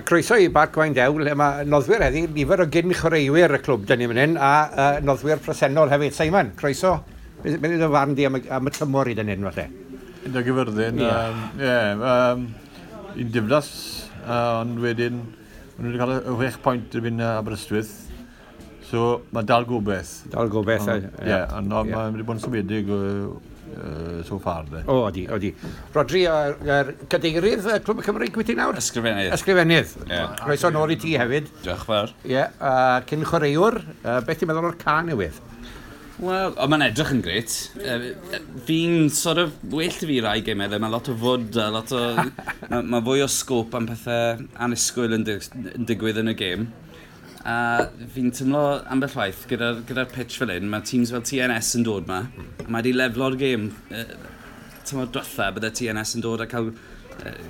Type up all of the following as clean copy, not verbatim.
Croeso i Barc Waun Dew, lle mae noddwyr heddi, nifer o gyn chwaraewyr y clwb dyn ni fan hyn, a noddwyr presennol hefyd. Simon, croeso. Beth yw dy farn di am y tymor i dyn hyn, falle? Gyda Gyfyrddin, ie, un diflas, ond wedyn, maen nhw wedi cael y 6 pwynt erbyn Aberystwyth, so mae dal gobeith. Dal gobeith, ie. Ie, ond mae wedi bod yn symedig so far, de. O, odi, odi. Rodri, cadeirydd y Clwb y Cymru, gwyt ti nawr? Ysgrifennydd. Ysgrifennydd. Yeah. Croeso nôl i ti hefyd. Diolch fawr. Ie, yeah, cyn chwaraewr, beth ti'n meddwl o'r ca newydd? Wel, mae'n edrych yn gret. Fi'n sort of, well i fi rai gemau, mae lot o fwd, a lot o... Mae fwy o sgôp am pethau annisgwyl yn digwydd yn y gêm. A fi'n teimlo ambell waith gyda'r pitch fel hyn, mae teams fel TNS yn dod ma, a mae wedi leflo'r gêm. Tymor diwetha, bydde TNS yn dod a cael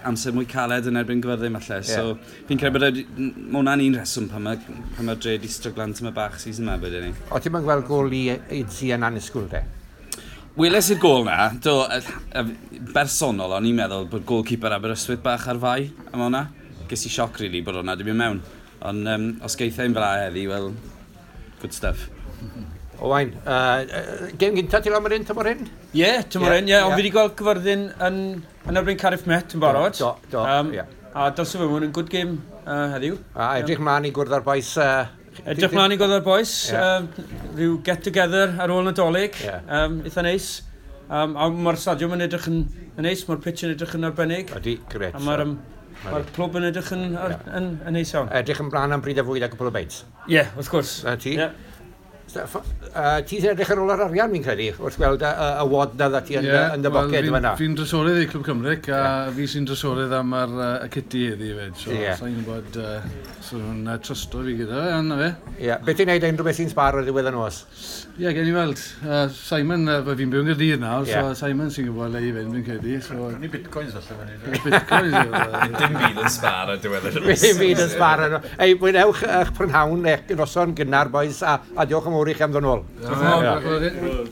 amser mwy caled yn erbyn Gyfyrddin falle. Yeah. So fi'n credu bod ma hwnna'n un rheswm pan mae'r dre di stryglan tyma bach season yma bydde ni. O, ti'n mynd gweld gôl i Idsi yn annisgwyl de? Weles i'r gôl na, do, bersonol, o'n i'n meddwl bod goalkeeper Aberystwyth bach ar fai am hwnna. Ges i sioc, really, bod hwnna di mynd mewn. Ond os geith e'n fel heddi, well, good stuff. Owain, gêm gynta ti lan hyn, tymor hyn? Ie, tymor hyn, ie. Ond fi wedi gweld Cyfyrddin yn erbyn Cardiff Met yn barod. Do, do, ie. A dylse fe mwyn yn good game heddiw. A edrych mlaen i gwrdd â'r boys. Edrych mlaen i gwrdd â'r boys. Rhyw get together ar ôl Nadolig. Eitha neis. A mae'r stadiwm yn edrych yn neis, mae'r pitch yn edrych yn arbennig. Ydy, gret. A mae'r clwb yn edrych yn neis iawn. Edrych yn blaen am bryd a fwyd a cwpl o beits. Ie, wrth gwrs. Na ti? Ti sy'n edrych ar ôl yr arian, fi'n credu, wrth gweld y wad na dda ti yn dy boced fan'na. Fi'n drysorydd i Clwb Cymric, a fi sy'n drysorydd am y kitty heddi hefyd. So, sa'n gwybod, so nhw'n trysto fi gyda fe, anna fe. Ie, beth ti'n neud unrhyw beth sy'n sbar ar ddiwedd y nos? Ie, gen i weld. Simon, fi'n byw yn Gaerdydd nawr, so Simon sy'n gwybod le i fynd, fi'n credu. So... Ni bitcoins allan fan. Bitcoins. Dim byd yn sbar ar diwedd y nos. Dim byd yn sbar. Ei, mwynhewch eich prynhawn, eich noson gynnar, boys, a diolch yn fawr i chi am ddod nôl. Diolch yn fawr.